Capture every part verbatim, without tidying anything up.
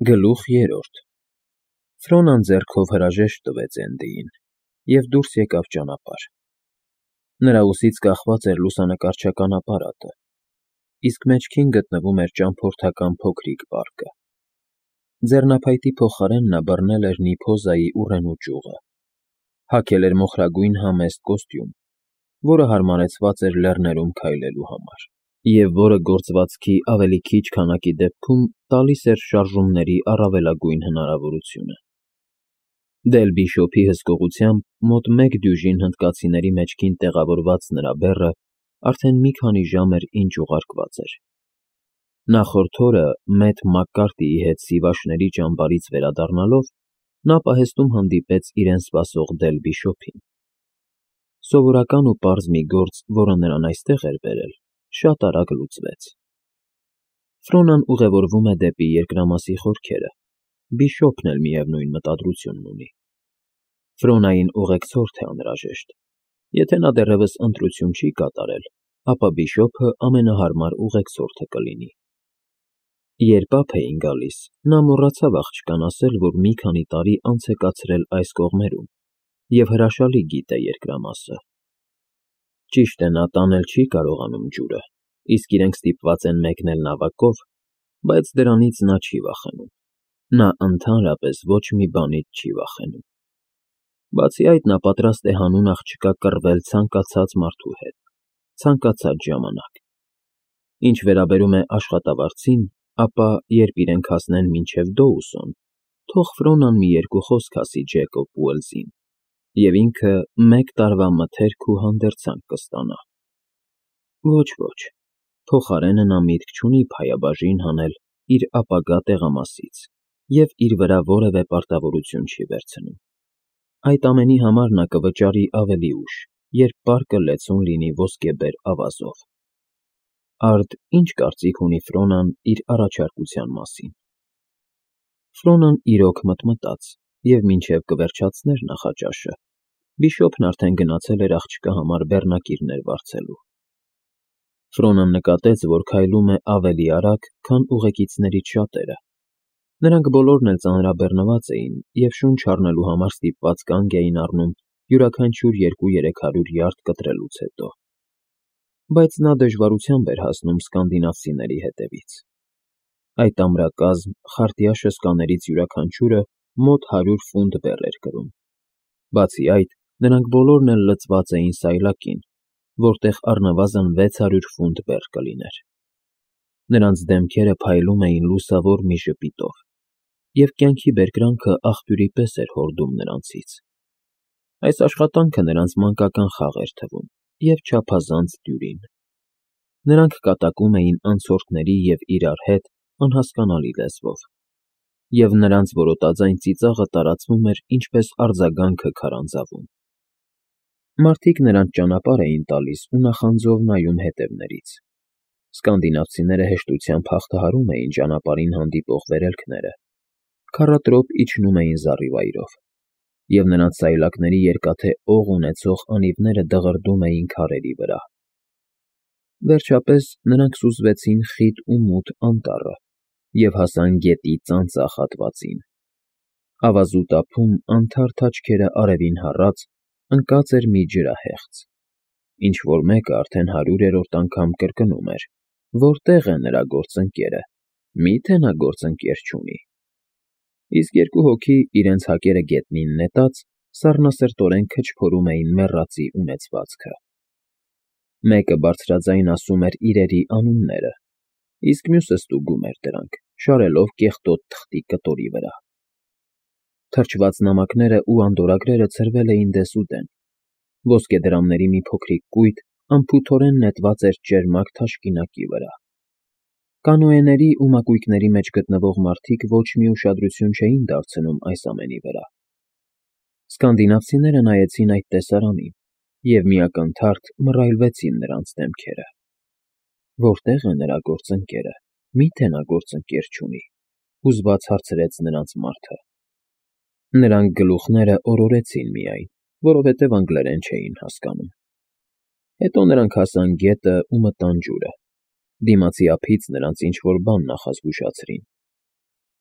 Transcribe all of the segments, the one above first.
Գլուխ երրորդ Ֆրոնան ձեռքով հրաժեշտ տվեց Էնդիին և դուրս եկավ ճանապարհ. նրա ուսից կախված էր լուսանկարչական ապարատը, իսկ մեջքին գտնվում էր ճամփորդական փոքրիկ պարկը. ձեռնափայտի փոխարեն նա բռնել էր Նիփոզայի ուռենու ճյուղը, հագել էր մոխրագույն համեստ կոստյում, որը հարմարեցված էր լեռներում քայլելու համար, և որը գործվածքի ավելի քիչ քանակի դեպքում տալիս էր շարժումների առավելագույն հնարավորությունը։ Դել-Բիշոփի հսկողությամբ մոտ մեկ դյուժին հնդկացիների մեջքին տեղավորված նրա բեռը արդեն մի քանի ժամ էր ինչ ուղարկված էր։ Նախորդ օրը մեծ Մակկարտիի հետ Սիվաշների ճամբարից վերադառնալով նա պահեստում հանդիպեց իրեն սպասող Դել-Բիշոփին։ Սովորական ու պարզ մի գործ, որը նրան այստեղ էր բերել, շատ արագ լուծվեց։ Ֆրոնան ուղևորվում է դեպի երկրամասի խորքերը, Բիշոփն էլ միևնույն մտադրությունն ունի։ Ֆրոնային ուղեկցորդ է անհրաժեշտ։ Եթե նա դեռևս ընտրություն չի կատարել, ապա Բիշոփը ամենահարմար ուղեկցորդը կլինի։ Երբ ափ էին գալիս, նա մոռացավ աղջկան ասել, որ մի քանի տարի անց է կացրել այս կողմերում և հրաշալի գիտե երկրամասը։ Ճիշտ է, նա տանել չի կարողանում ջուրը, իսկ իրենք ստիպված են մեկնել նավակով, բայց դրանից նա չի վախենում։ Նա ընդհանրապես ոչ մի բանից չի վախենում։ Բացի այդ, նա պատրաստ է հանուն աղջկա կռվել ցանկացած մարդու հետ, ցանկացած ժամանակ։ Ինչ վերաբերում է աշխատավարձին, ապա երբ իրենք հասնեն մինչև Դոուսոն, թող Ֆրոնան մի երկու խոսք ասի Ջեկոբ Ուելսին, և ինքը մեկ տարվա մթերք ու հանդերձանք կստանա։ Ոչ, ոչ, փոխարենը նա միտք չունի փայաբաժին հանել իր ապագա տեղամասից և իր վրա որևէ պարտավորություն չի վերցնում։ Այդ ամենի համար նա կվճարի ավելի ուշ, երբ պարկը լեցուն լինի ոսկեբեր ավազով։ Արդ ի՞նչ կարծիք ունի Ֆրոնան իր առաջարկության մասին։ Ֆրոնան իրոք մտմտաց, և մինչև կվերջացներ նախաճաշը, Բիշոփն արդեն գնացել էր աղջկա համար բեռնակիրներ վարձելու։ Ֆրոնան նկատեց, որ քայլում է ավելի արագ, քան ուղեկիցներից շատերը։ Նրանք բոլորն էլ ծանրաբեռնված էին և շունչ առնելու համար ստիպված կանգ էին առնում յուրաքանչյուր երկու֊երեք հարյուր յարդ կտրելուց հետո։ Բայց նա դժվարությամբ էր հասնում սկանդինավցիների հետևից։ Այդ ամրակազմ, խարտյա շսկաներից յուրաքանչյուրը մոտ հարյուր ֆունտ բեռ էր կրում։ Բացի այդ, նրանք բոլորն էլ լցված էին սայլակին, որտեղ առնվազն վեց հարյուր ֆունտ բեռ կլիներ։ Նրանց դեմքերը փայլում էին լուսավոր մի ժպիտով, և կյանքի բերկրանքը աղբյուրի պես էր հորդում նրանցից։ Այս աշխատանքը նրանց մանկական խաղ էր թվում և չափազանց դյուրին։ Նրանք կատակում էին անցորդների և իրար հետ անհասկանալի լեզվով, և նրանց որոտաձայն ծիծաղը տարածվում էր ինչպես արձագանքը քարանձավում։ Մարդիկ նրանց ճանապարհ էին տալիս ու նախանձով նայում հետևներից։ Սկանդինավցիները հեշտությամբ հաղթահարում էին ճանապարհին հանդիպող վերելքները, քառատրոպ իջնում էին զառիվայրով, և նրանց սայլակների երկաթե օղ ունեցող անիվները դղրդում էին քարերի վրա։ Վերջապես նրանք սուզվեցին խիտ ու մութ անտառը և հասան գետի ծանծաղ հատվածին։ Ավազուտ ափում, անթարթ աչքերը արևին հառած, ընկած էր մի ջրահեղձ, ինչ֊որ մեկը արդեն հարյուրերորդ անգամ կրկնում էր. որտե՞ղ է նրա գործընկերը, մի՞թե նա գործընկեր չունի։ Իսկ երկու հոգի, իրենց հակերը գետնին նետած, սառնասրտորեն քչփորում էին մեռածի ունեցվածքը։ Մեկը բարձրաձայն ասում էր իրերի անունները, իսկ մյուսը ստուգում էր դրանք, շարելով կեղտոտ թղթի կտորի վրա։ Թրջված նամակներն ու անդորրագրերը ցրվել էին դեսուդեն, ոսկեդրամների մի փոքրիկ կույտ անփութորեն նետված էր ճերմակ թաշկինակի վրա։ Կանոեների ու մակույկների մեջ գտնվող մարդիկ ոչ մի ուշադրություն չէին դարձնում այս ամենի վրա։ Սկանդինավցիները նայեցին այդ տեսարանին և միակնթարթ մռայլվեցին նրանց դեմքերը։ Որտե՞ղ է նրա գործընկերը, մի՞թե նա գործընկեր չունի, հուզված հարցրեց նրանց մարդը։ Նրանք գլուխները օրորեցին միայն, որովհետև անգլերեն չէին հասկանում։ Հետո նրանք հասան գետը ու մտան ջուրը։ Դիմացի ափից նրանց ինչ֊որ բան նախազգուշացրին։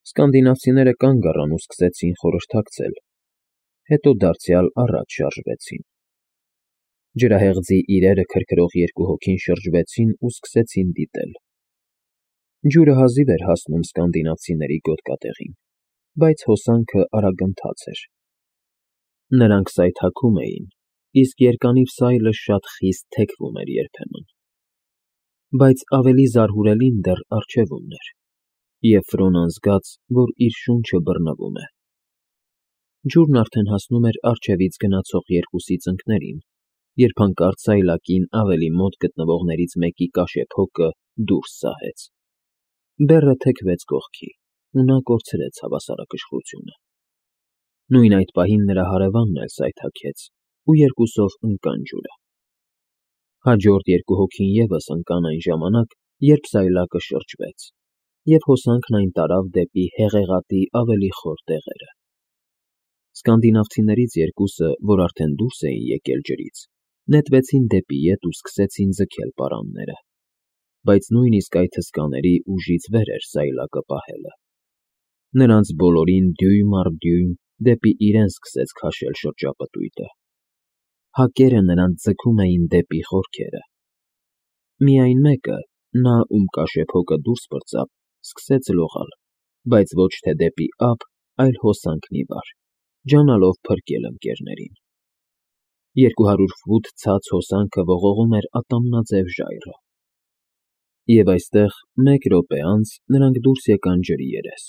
Սկանդինավցիները կանգ առան ու սկսեցին խորհրդակցել, հետո դարձյալ առաջ շարժվեցին։ Ջրահեղձի իրերը քրքրող երկու հոգին շրջվեցին ու սկսեցին դիտել։ Ջուրը հազիվ էր հասնում սկանդինավցիների գոտկատեղին, բայց հոսանքը արագընթաց էր։ Նրանք սայթաքում էին, իսկ երկանիվ սայլը շատ խիստ թեքվում էր երբեմն։ Բայց ավելի զարհուրելին դեռ առջևումն էր, և Ֆրոնան զգաց, որ իր շունչը բռնվում է։ Ջուրն արդեն հասնում էր առջևից գնացող երկուսի ծնկներին, երբ հանկարծ սայլակին ավելի մոտ գտնվողներից մեկի կաշեփոկը դուրս սահեց։ Բեռը թեքվեց կողքի, ու նա կորցրեց հավասարակշռությունը։ Նույն այդ պահին նրա հարևանն էլ սայթաքեց, ու երկուսով ընկան ջուրը։ Հաջորդ երկու հոգին ևս ընկան այն ժամանակ, երբ սայլակը շրջվեց, և հոսանքն այն տարավ դեպի հեղեղատի ավելի խոր տեղերը։ Սկանդինավցիներից երկուսը, որ արդեն դուրս էին եկել ջրից, նետվեցին դեպի ետ ու սկսեցին ձգել պարանները, բայց նույնիսկ այդ հսկաների ուժից վեր էր սայլակը պահելը։ Նրանց բոլորին դյույմ առ դյույմ դեպի իրեն սկսեց քաշել շրջապտույտը։ Հակերը նրանց ձգում էին դեպի խորքերը։ Միայն մեկը, նա, ում կաշեփոկը դուրս պրծավ, սկսեց լողալ, բայց ոչ թե դեպի ափ, այլ հոսանքն ի վար, ջանալով փրկել ընկերներին։ Երկու հարյուր ֆուտ ցած հոսանքը ողողում էր ատամնաձև ժայռը։ Եվ այստեղ, մեկ րոպե անց, նրանք դուրս եկան ջրի երես։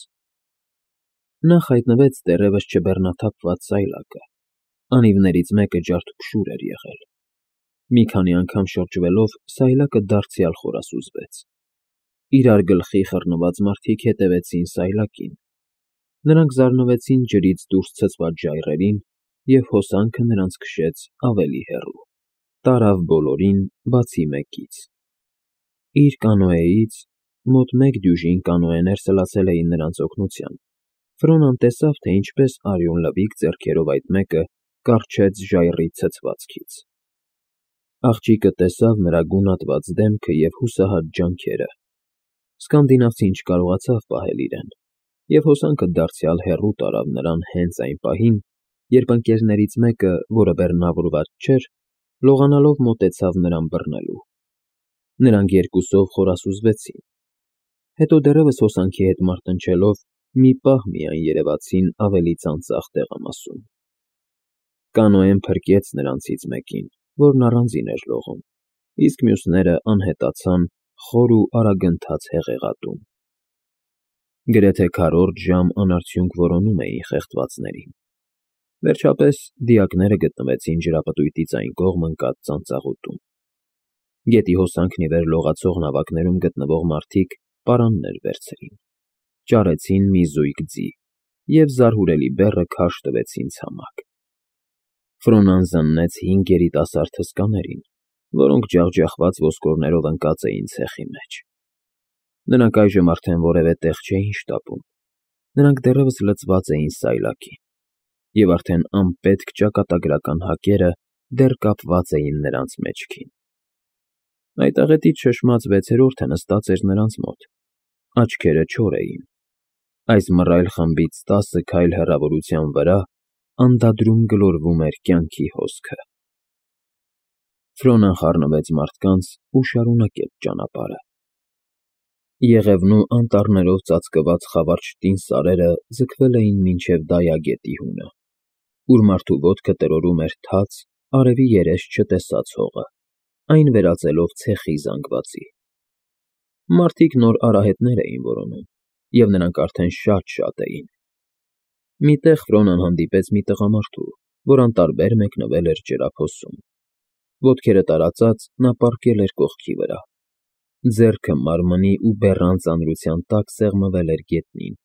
Նախ հայտնվեց դեռևս չբեռնաթափված սայլակը։ Անիվներից մեկը ջարդփշուր էր եղել։ Մի քանի անգամ շրջվելով, սայլակը դարձյալ խորասուզվեց։ Իրար գլխի խռնված մարդիկ հետևեցին սայլակին։ Նրանք զարնվեցին ջրից դուրս ցցված ժայռերին, և հոսանքը նրանց քշեց ավելի հեռու, տարավ բոլորին, բացի մեկից։ Իր կանոեից (մոտ մեկ դյուժին կանոեներ սլացել էին նրանց օգնության) Ֆրոնան տեսավ, թե ինչպես արյունլվիկ ձեռքերով այդ մեկը կառչեց ժայռի ցցվածքից։ Աղջիկը տեսավ նրա գունատված դեմքը և հուսահատ ջանքերը։ Սկանդինավցին չկարողացավ պահել իրեն, և հոսանքը դարձյալ հեռու տարավ նրան հենց այն պահին, երբ ընկերներից մեկը, որը բեռնավորված չէր, լողանալով մոտեցավ նրան բռնելու։ Նրանք երկուսով խորասուզվեցին։ Հետո դեռևս հոսանքի հետ մարտնչելով, մի պահ միայն երևացին ավելի ծանծաղ տեղամասում։ Կանոեն փրկեց նրանցից մեկին, որն առանձին էր լողում, իսկ մյուսները անհետացան խոր ու արագընթաց հեղեղատում։ Գրեթե քառորդ ժամ անարդյունք որոնում էին խեղդվածներին։ Վերջապես դիակները գտնվեցին ջրապտույտից այն կողմ ընկած ծանծաղուտում։ Գետի հոսանքն ի վեր լողացող նավակներում գտնվող մարդիկ պարաններ վերցրին, ճարեցին մի զույգ ձի և զարհուրելի բեռը քարշ տվեցին ցամաք։ Ֆրոնան զննեց հինգ երիտասարդ հսկաներին, որոնք ջախջախված ոսկորներով ընկած էին ցեխի մեջ։ Նրանք այժմ արդեն որևէ տեղ չէին շտապում։ Նրանք դեռևս լցված էին սայլակին, և արդեն անպետք ճակատագրական հակերը դեռ կապված էին նրանց մեջքին։ Այդ աղետից շշմած վեցերորդը նստած էր նրանց մոտ։ Աչքերը չոր էին։ Այս մռայլ խմբից տասը քայլ հեռավորության վրա անդադրում գլորվում էր կյանքի հոսքը։ Ֆրոնան խառնվեց մարդկանց ու շարունակեց ճանապարհը։ Եղևնու անտառներով ծածկված խավարճտին սարերը ձգվել էին մինչև Դայագետի հունը, ուր մարդու ոտքը տրորում էր թաց, արևի երես չտեսած հողը, այն վերածելով ցեխի զանգվածի։ Մարդիկ նոր արահետներ էին որոնում, և նրանք արդեն շատ֊շատ էին։ Մի տեղ Ֆրոնան հանդիպեց մի տղամարդու, որ անտարբեր մեկնվել էր ջրափոսում։ Ոտքերը տարածած, նա պառկել էր կողքի վրա։ Ձեռքը մարմնի ու բեռան ծանրության տակ սեղմվել էր գետնին։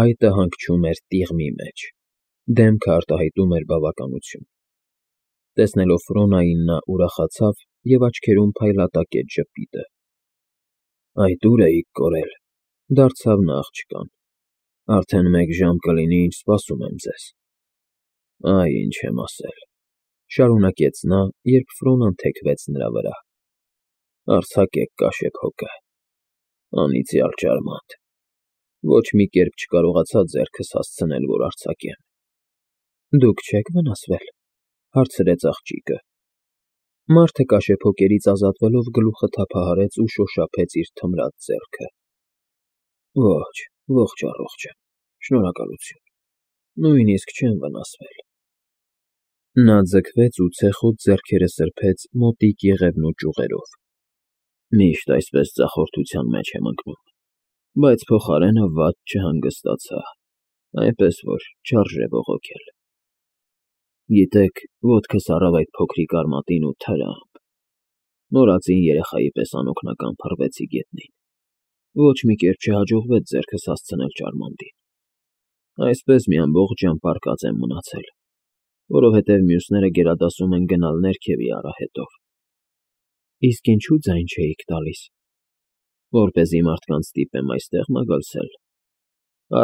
Այտը հանգչում էր տիղմի մեջ։ Դեմքը արտահայտում էր բավականություն։ Տեսնելով Ֆրոնային, նա ուրախացավ և աչքերում փայլատակեց ժպիտը։ Այդ ո՞ւր էիք կորել,֊ դարձավ նա աղջկան։ Արդեն մեկ ժամ կլինի, ինչ սպասում եմ ձեզ։ Այ ինչ եմ ասել,֊ շարունակեց նա, երբ Ֆրոնան թեքվեց նրա վրա։ Արձակեք կաշեփոկը, անիծյալ ջարմանտ։ Ոչ մի կերպ չկարողացա ձեռքս հասցնել, որ արձակեմ։ Դուք չե՞ք վնասվել, հարցրեց աղջիկը։ Մարդը կաշեփոկերից ազատվելով գլուխը թափահարեց ու շոշափեց իր թմրած ձեռքը։ Ոչ, ողջ առողջ եմ, շնորհակալություն, նույնիսկ չեմ վնասվել։ Նա ձգվեց ու ցեխոտ ձեռքերը սրբեց մոտիկ եղևնու ճյուղերով։ Միշտ այսպես ձախորդության մեջ եմ ընկնում, բայց փոխարենը վատ չհանգստացա, այնպես որ չարժե բողոքել։ Գիտեք, ոտքս առավ այդ փոքրիկ արմատին ու թրամբ։ Մոռացին երեխայի պես անօգնական փռվեցի գետնին։ Ոչ մի կերպ չհաջողվեց ձեռքս հասցնել ճարմանտին։ Այսպես մի ամբողջ ժամ պառկած եմ մնացել, որովհետև մյուսները գերադասում են գնալ ներքևի արահետով։ Իսկ ինչու ձայն չէիք տալիս։ Որպեսզի մարդկանց ստիպեմ այստեղ մագլցել։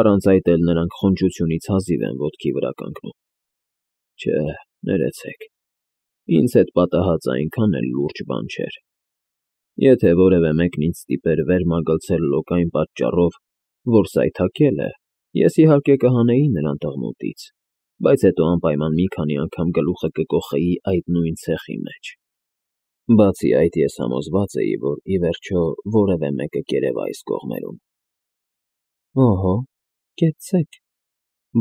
Առանց այդ էլ նրանք խոնջությունից հազիվ են ոտքի վրա կանգնում։ Չէ, ներեցեք, ինձ հետ պատահածը այնքան էլ լուրջ բան չէր։ Եթե որևէ մեկն ինձ ստիպեր վեր մագլցել լոկային պատճառով, որ սայթաքել է, ես իհարկե կհանեի նրան տղմուտից, բայց հետո անպայման մի քանի անգամ գլուխը կկոխեի այդ նույն ցեխի մեջ։ Բացի այդ, ես համոզված էի, որ ի վերջո որևէ մեկը կերևա այս կողմերում։ Օհո, կեցցեք,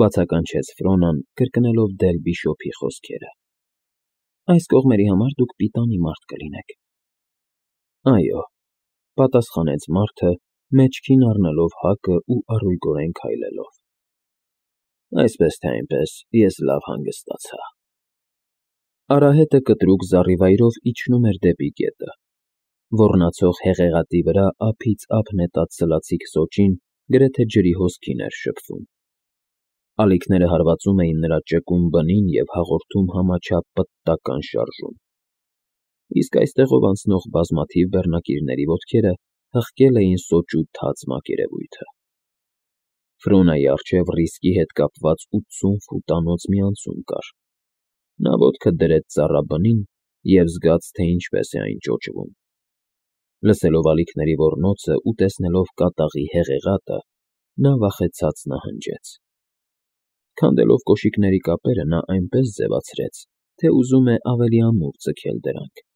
բացականչեց Ֆրոնան, կրկնելով դել բիշոպի խոսքերը։ Այս կողմերի համար դուք պիտանի մարդ կլինեք։ Այո, պատասխանեց մարդը, մեջքին առնելով հակը ու առույգորեն քայլելով։ Այսպես թե այնպես, ես լավ հանգստացա։ Արահետը կտրուկ զառիվայրով իջնում էր դեպի գետը։ Ոռնացող հեղեղատի վրա ափից ափ նետած սլացիկ սոճին գրեթե ջրի հոսքին էր շփվում։ Ալիքները հարվածում էին նրա ճկուն բնին և հաղորդում համաչափ պտտական շարժում։ Իսկ այստեղով անցնող բազմաթիվ բեռնակիրների ոտքերը հղկել էին սոճու թաց մակերևույթը։ Ֆրոնայի առջև ռիսկի հետ կապված ութսուն ֆուտանոց մի անցում կար։ Նա ոտքը դրեց ծառաբնին և զգաց, թե ինչպես է այն ճոճվում։ Լսելով ալիքների ոռնոցը ու տեսնելով կատաղի հեղեղատը, նա վախեցած նահանջեց։ Քանդելով կոշիկների կապերը, նա այնպես ձևացրեց, թե ուզում է ավելի ամուր ձգել դրանք։